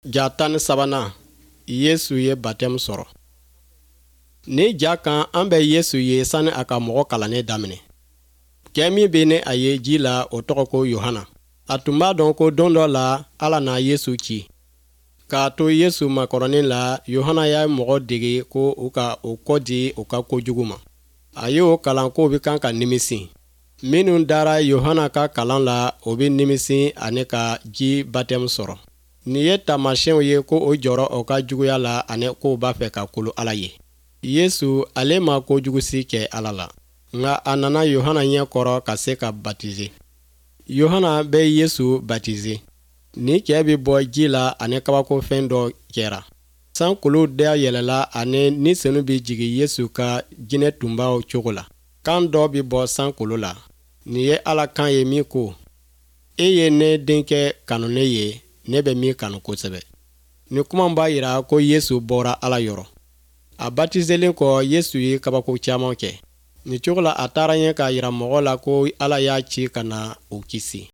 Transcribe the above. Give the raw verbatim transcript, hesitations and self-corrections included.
Ja tan ni sabanan, Yesu ye batɛmu sɔrɔ. Ni ja kan, an bɛ Yesu ye sani a ka mɔgɔ kalannen daminɛ. Cɛ min bɛ ne a ye ji la, o tɔgɔ ko Yohana. A tun b'a dɔn ko don dɔ la Ala na Yesu ci. K'a to Yesu makɔrɔni la, Yohana y'a mɔgɔ dege ko u ka u kɔ di u ka kojugu ma. A y'o kalan k'o bɛ kan ka nimisi. Minnu dara Yohana ka kalan la, o bɛ nimisi ani ka ji batɛmu sɔrɔ. Nin ye taamasiyɛnw ye ko o jɔrɔ o ka juguya la ani k'o b'a fɛ ka kolo Ala ye. Yesu, ale ma kojugu si kɛ Ala la, nka a nana Yohana ɲɛ kɔrɔ ka se ka batize. Yohana bɛ Yesu batize. Ni cɛ bɛ bɔ ji la ani kabakofɛn dɔ kɛra. Sankolo dayɛlɛla ani Ni Senu bɛ jigin Yesu ka jinɛ tunbaw cogo la. Kan dɔ bɛ bɔ sankolo la. Nin ye Ala kan ye min ko: E ye ne denkɛ kanunen ye, ne bɛ min kanu kosɛbɛ. Nin kuma b'a jira ko Yesu bɔra Ala yɔrɔ. A batizelen kɔ, Yesu ye kabako caman kɛ. Nin cogo la, a taara ɲɛ k'a jira mɔgɔ la ko Ala y'a ci ka na u kisi.